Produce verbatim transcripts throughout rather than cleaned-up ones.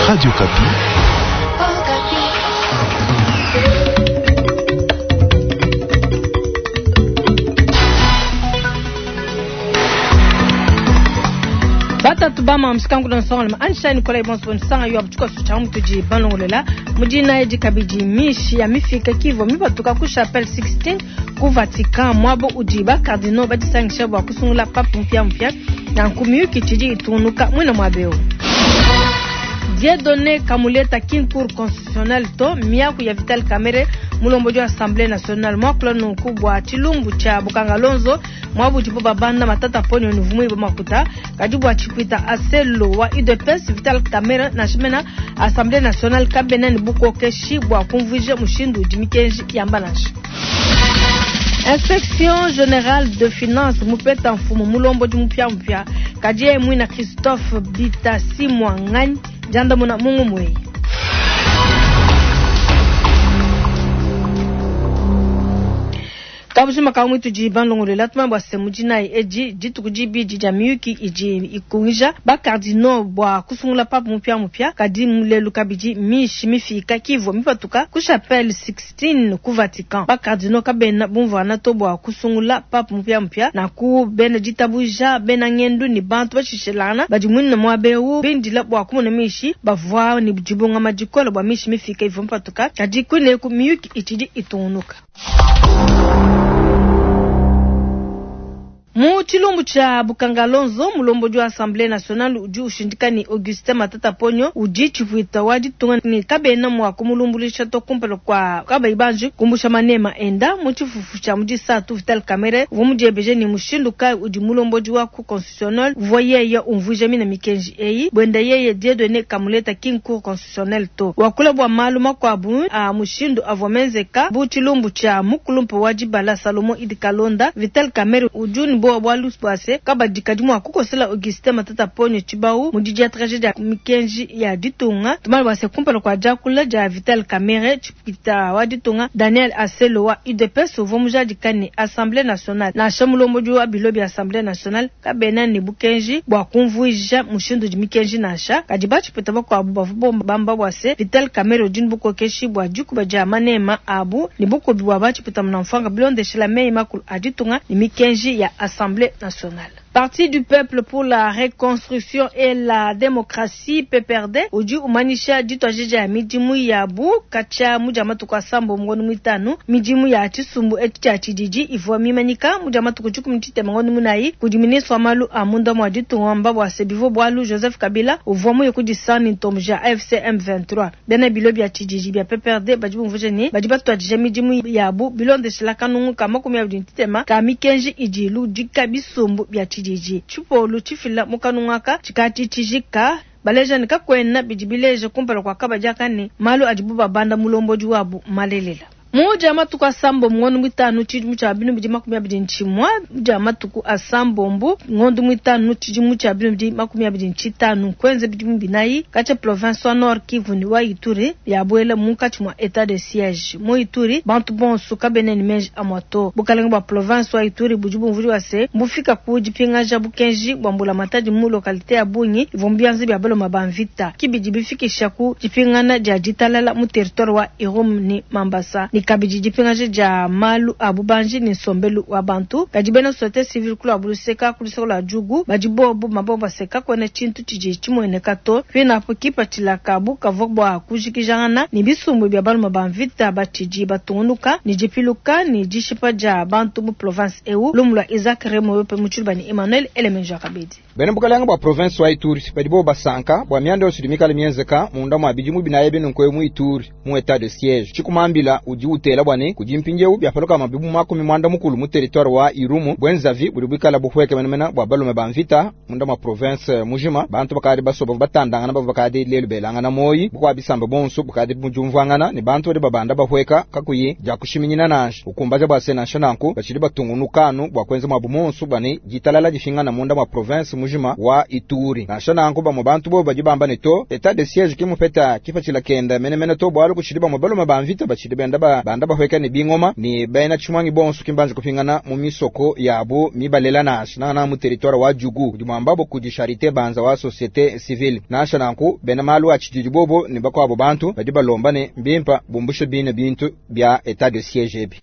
Radio Okapi. Batatu bama mshikangu nsonga ansha Nikolai bonso nsanga yo abutuka sucha mutudi balongolela mudina edi kabidi mishi ya mifika kivo mibatuka ku Chapelle Sixtine ku Vatican mwabo udi ba cardinal badisangisha bua kusungula pape mpya mpya na nkumiyuki tshidi itunuka mwina mwabeo Dieudonné Kamuleta kin cour constitutionnelle to miaku ya Vital Kamerhe mulombo wa Assemblée nationale mwakula nunku bua tshilumbu tshia Bukanga Lonzo mwabu bo babanda Matata Ponyo ni vumui ba makuta kadi bua tshipwita aselo wa U D P S Vital Kamerhe na shimena Assemblée nationale kabena ni bukokeshi bua kumvuija mushindu udi mikenji yamba nansha. Inspection générale de finance mupeta mfumu mulombodi mupya mupya kadi yeye mwina Christophe Bitasi Mwanganyi jandamuna mungu mweyi. Kabujima ka mwitu di balongolela tuma bua se mudinayi edi dituku dibidi dia miyuki idi ikungija ba cardinaux bua kusungula pape mupya mupya kadi mulelu kabidi mishi mifika kivua mipatuka ku Chapelle Sixtine ku Vatican ba cardinaux kabena bumvuana to bua kusungula pape mupya mupya na ku bena ditabuja bena ngendu ni bantu bashishelana badi mwina muabeu bindila bua kumona mishi bavua ni dibunga madikola bua mishi mifika ivua mipatuka kadi kuneku miyuki itshidi itungunuka. Mu tshilumbu tshia Bukanga Lonzo mulombodi wa Assemblée nationale udi ushindika ni Augustin Matata Ponyo udi tshipwita wa ditunga ni kabena mua kumulumbulisha to kumpala kwa kabayi banji kumbusha manema enda mu tshifufu tshia mudisatu Vital Kamerhe uvua mudiebeje ni mushindu kayi udi mulombodi wa cour constitutionnelle uvua yeye umvuija mina mikenji eyi buenda yeye Dieudonné Kamuleta kin cour constitutionnelle to wakula bua malu makuabu a mushindu avua menzeka bu tshilumbu tshia mukulumpa wa dibala Salomon Idi Kalonda. Vital Kamerhe udi ni bowa bwalu bwase kabadi kadi mua kukosela Augustin Matata Ponyo tshibawu mu didiatraje dia mikenji ya ditunga tumali bwase kumpala kua diakula dia Vital Kamerhe tshipita wa ditunga Daniel Aselo wa U D P S uvua mujadika ni Assemblée nationale nansha mulombodi wa bilo bia Assemblée nationale kabena ni bukenji bua kumvuija mushindu di mikenji nansha kadi batshipita bakuabu bavua bamba bwase Vital Kamerhe udi ni bukokeshi bua dikuba dia manema abu ni bukubi bua batshipita munamfwanga bilondeshela meyi makulu a ditunga ni mikenji ya Assemblée nationale. Parti du peuple pour la reconstruction et la démocratie P P R D udi umanyisha dituadija ya midimu yabu katshia mudia matuku asambo ngondo muitanu midimu ya tshisumbu etshi tshia tshididi ivua mimanyika mudia matuku tshikumi tshitema ngondo munayi kudi ministre wa malu a munda mua ditunga wamba bua se bivua bualu Joseph Kabila uvua muye kudisanga ni ntombo ja A F C M vingt-trois bena bilo bia tshididi bia P P R D badi bumvuija ne badi batuadija midimu yabu bilondeshela kanungu ka makumi abidi ntitema ka mikenji idi iludika bisumbu bia tshididi tshipolu tshifila mu kanungu aka tshikati tshijika baleja ne kakwena bidi bileja kumpala kua kabadi aka ne malu adibu babanda mulombodi wabu malelela muja matuku asambombo ngondo mwitanu tshidimu tshia binu bidi makumi abidi ntshimua muja matuku asambombo ngondo mwitanu tshidimu tshia binu bidi makumi abidi ntshitanu kwenza bidimu binayi katshia province wa Nord Kivu ni wa Ituri yabuela munkatshi mua état de siège mu Ituri bantu bonso kabena ni menji amua to bukalenga bua province wa Ituri budi bumvudi wa se mbufika ku dipingaja bukenji bua mbulamatadi mu localité ya Bungi ivua mu bia baloma ba mvita kibidi bifikisha ku dipingana dia ditalala mu territoire wa Irumu ni Mambasa ni kabidi dipingaja dia malu a bubanji ni nsombelu wa bantu kadi bena société civile kulu abuluseka kuluseka lua djugu badi bobu mabomba seka kwena tshintu tshidi tshimueneka to pinapo kipatshila kabu kavua bua kujikijangana ni bisumbu bia baluma ba mvita batshidi batungunuka ni dipiluka ni dishipa dia bantu mu province eu lumu lua Isaac Remoyope mu tshiluba ni Emmanuel Elemenjo kabidi. Bena bukalanga bua province wa Ituri badi bo basanka bua mianda yonso idi mikale mienzeka munda mua bidimu binayi binunku mu Ituri mu état de siège tshikumambila udi utela bua ne kudi mpindieu biapaluka mabibu makumi mwanda mukulu mu territoire wa Irumu bwenzavi budi buikala buhweke menemene bua balume ba mvita munda mua province mujima bantu bakadi basoba batandangana bavua bakadi lelu belangana moyi bukua bisamba bonso bukadi mujumvuangana ne bantu badi babanda bahweka kakuyi dia kushiminyina nansha ukumbaja bua se nansha nanku batshidi batungunukanu bua kuenza muabu monso bua ne ditalala difingana munda mua province mujima wa Ituri nansha nanku bamue bantu bo badi bamba ne to état de siège kimupeta kipatshila kenda menemene to bualu kutshidi bamue balume ba mvita batshidi benda ba bikala banda bahueka ne bingoma ne bena tshimuangi bonso ki mbanji kupingana mu misoko yabu mibalela nansha nangananga mu territoire wa Djugu udi muambabo kudi Charité Banza wa société civile. Nansha nanku bena malu a tshididi bobo ne bakuabo bantu badi balomba ne mbimpa bumbushe bine bintu bia état de siège ebi.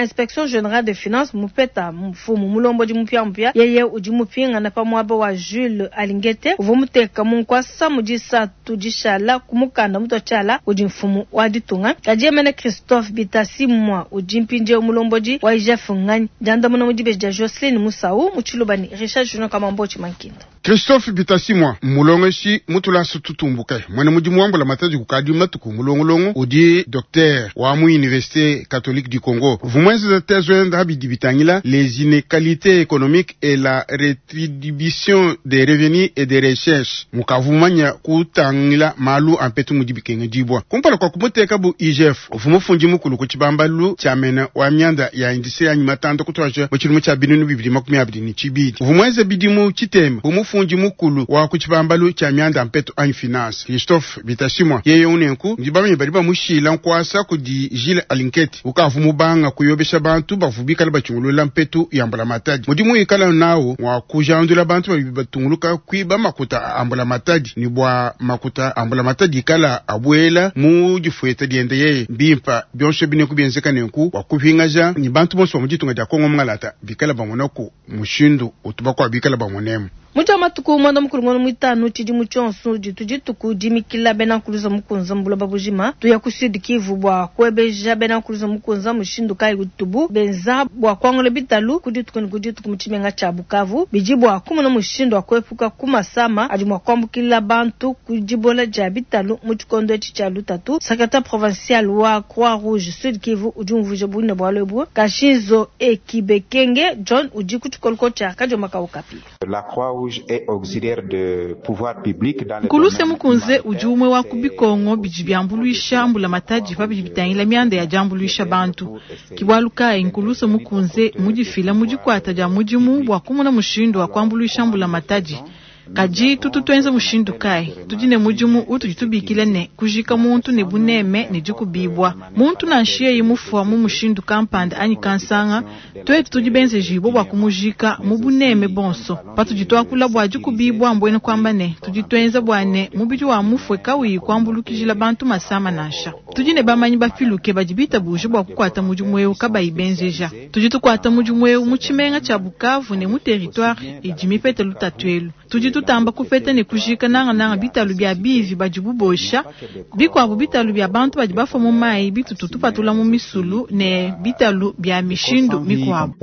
Inspection générale des finances mupeta mfumu mulombodi mupya mupya yeye udi mupingana pa muaba wa Jules Alingete uvua muteka mu nkuasa mu disatu dishala ku mukanda mutua tshiala udi mfumu wa ditunga. Kadi yemene Christophe Bitasimwa udi mpindieu mulombodi wa I G F nganyi diandamuna mu dibeji dia Jocelyn Musau mu Tshiluba ne Richard Junior Kamambochi Mankinda. Christophe Bitasimwa mulongeshi mutulasa tutumbuke mwene mudimu wa mbulamatadi kukadi matuku mulongolongo udi docteur wa mu Université catholique du Congo vumwenzeza thèse wenda bidi bitangila les inégalités économiques et la rétribution des revenus et des recherches mukavumanya kutangila malu ampetu mudi bikengedibwa kumpala kwa kumuteka bu I G F uvumufundi mukulu ku tshibambalu tshia mena wa mianda ya industrie anyi matanda kutwaja mu tshilumu tshia binunu bibili makumi abidi ne tshibidi uvumwenze bidimu tshitema bumufundi mukulu wa ku tshibambalu tshia mianda mpetu anyi finance. Christophe Bitasimwa yeye unenku ndi bamenye badi bamushila nkuasa kudi Jules Alingete ukavu mubanga kuyobesha bantu bavu bikala bachungulula mpetu ya mbulamatadi mudimu ikala nawo wa kujandula bantu babi batunguluka kwiba makuta a mbulamatadi ni bwa makuta a mbulamatadi ikala abuela mu difueta diende yeye bimpa byonso bineku bienzeka nenku wa kupingaja ni bantu bonso ba mu ditunga dia Kongo mungalata bikala bamonaku mushindu utubakwa bikala bamonemu. Mutu wa matuku mwanda mukulu ngono mwitanu tshidimu tshionso ditu dituku dimikila bena nkuluza mukunza mbuloba bujima tuya ku Sud Kivu bua kuebeja bena nkuluza mukunza mushindu kayi utubu benza bua kuangula bitalu ku dituku ne ku dituku mu tshimenga tshia Bukavu bidi bua kumona mushindu wa kuepuka ku masama adi mua kuambukila bantu ku dibola dia bitalu mu tshikondo etshi tshia lutatu. Secrétaire provincial wa Croix Rouge Sud Kivu udi umvuija bunene bualu ebu. Kashinzo Ekibekenge John udi ku tshikoloko tshia Kadioma Kaukapi. La Croix-Rouge est auxiliaire de pouvoir public dans le Nkuluse mukunze udi umwe wa kubikongo bidi biambuluisha mbulamatadi pa bidi bitangila mianda ya diambuluisha bantu kibwalukayi nkuluse mukunze mudifila mu dikwata dia mudimu bua kumona mushindu wa kuambuluisha mbulamatadi. Kadi tutu tuenza mushindu kayi? Tudi ne mudimu utudi tubikila ne kujika muntu ne buneme ne dikubibwa muntu nansha yeye mufua mu mushindu kampanda anyi kansanga twetu tudi benzejibwa bua kumujika mu buneme bonso. Patudi tuakula bua dikubibwa mbwene kuamba ne tudi tuenza bua ne mubidi wa mufue kauyi kuambulukijila bantu masama nansha. Tudi ne bamanyi bapiluke badi bitabuje bua kukuata mudimu eu kabayi benzeja. Tudi tukuata mudimu eu mu tshimenga tshia Bukavu ne mu territoire idi mipete lutatu elu. Tudi tutamba kupeta ne kujika nangananga bitalu bia bivi badi bubosha bikuabu bitalu bia bantu badi bafua mu mayi bitutu tupatula mu misulu ne bitalu bia mishindu mikuabu.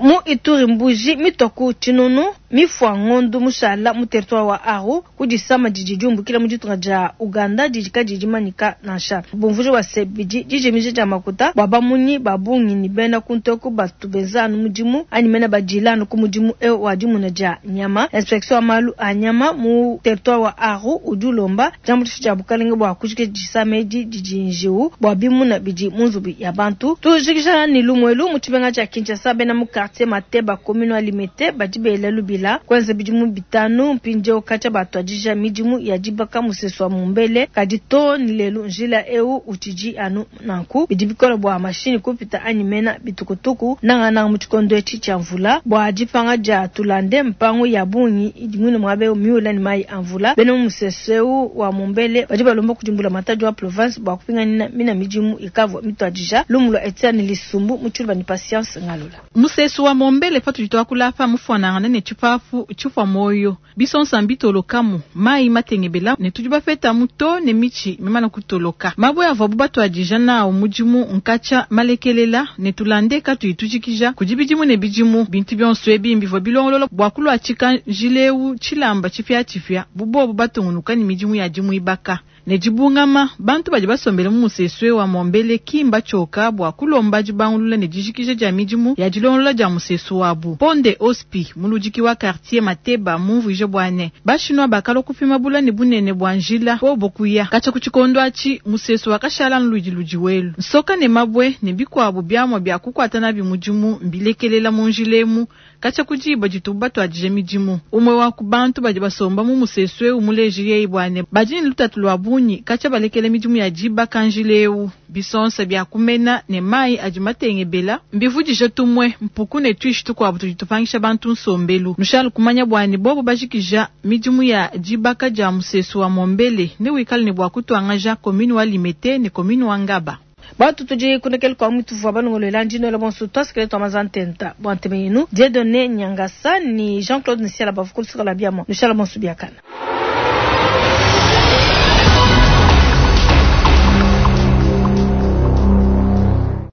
Mu Ituri mbuji mitoku tshinunu mifua ngondu mushala mu territoire wa Aru kudisama didi diumbukila mu ditunga dia Uganda didi kadi dimanyika nansha bumvuji wa se bidi dijimija dia makuta bua bamunyi ba bungi ni bena kuntoku batu benza anu mudimu anyi mena badila anu ku mudimu eu wa dimuna dia nyama. Inspection wa malu a nyama mu territoire wa Aru udi ulomba diambuluisha dia bukalenge bua kujikija disama edi didi njiwu bua bimuna bidi mu nzubu ya bantu. Tujikija ni lumuelu mu tshimenga tshia Kinshasa bena mu quartier Mateba commune wa Limete badi bela lubila kwenza bidimu bitanu mpindieu katshia batuadija midimu ya dibaka musesu wa Mumbele kadi to ni lelu njila eu utshidi anu nanku bidi bikola bua mashini kupita anyi mena bitukutuku nangananga mu tshikondo etshi tshia mvula bua dipanga dia tulande mpangu ya bungi idi mwine muaba eu miula ni mayi a mvula. Bena mu musesu eu wa Mumbele badi balomba kudimbula matadi wa province bua kupinganina mina midimu ikavua mituadija. Lumu lua Etienne Lisumbu mu Tshiluba ni Patience Ngalula. Musesu wa Mombele patudi tuakula apa mufuanangana ne tshipapu tshifua moyo bisonsa mbitolokamu mayi matengebela ne tudi bapetamu to ne mitshi mimana kutoloka mabwe avuabu batuadija nawo mudimu nkatsha malekelela ne tulande katuyi tujikija kudi bidimu ne bidimu bintu bionso ebi mbivua bilongolola bua kuluatshika njileu tshilamba tshipiatshipia bubobu batungunuka ne midimu ya dimuibaka ne dibungama bantu badi basombele mu musesu wa Mombele kimba tshioka bua kulomba dibangulula ne dijikija dia midimu ya dilongolola dia musesu wabu. Ponde Ospi muludiki wa quartier Mateba mumvuije bua ne bashinwa bakalua kupima bula ne bunene bua njila bobo kuya katshia ku tshikondo atshi musesu wakashala nludi ludi welu nsoka ne mabwe ne bikuabu biamua bia kukuata nabi mudimu mbilekelela mu njila emu. katshia ku diba ditubu batuadija midimu. Umue wa ku bantu badi basomba mu musesu eu muleji yeyi bua ne badi ne lutatu lua bunyi katshia balekela midimu ya dibaka njila eu. Bisonsa bia kumena ne mayi adi matengebela mbivudija tumue mpuku ne tuishi tukuabu tudi tupangisha bantu nsombelu. Nushala kumanya bua ne bobu bajikija midimu ya dibaka dia musesu wa Mombele ne wikale ne bua kutuangaja commune wa Limete ne commune wa Ngaba. Bantu tudi kunekele kwa mutu vua balongolola ndino bonso twasikile twa mazantenta bua nteme yenu Dieudonné Nyangasa ni Jean-Claude Nsiala bavukulu la biamo nushala bonso biakana.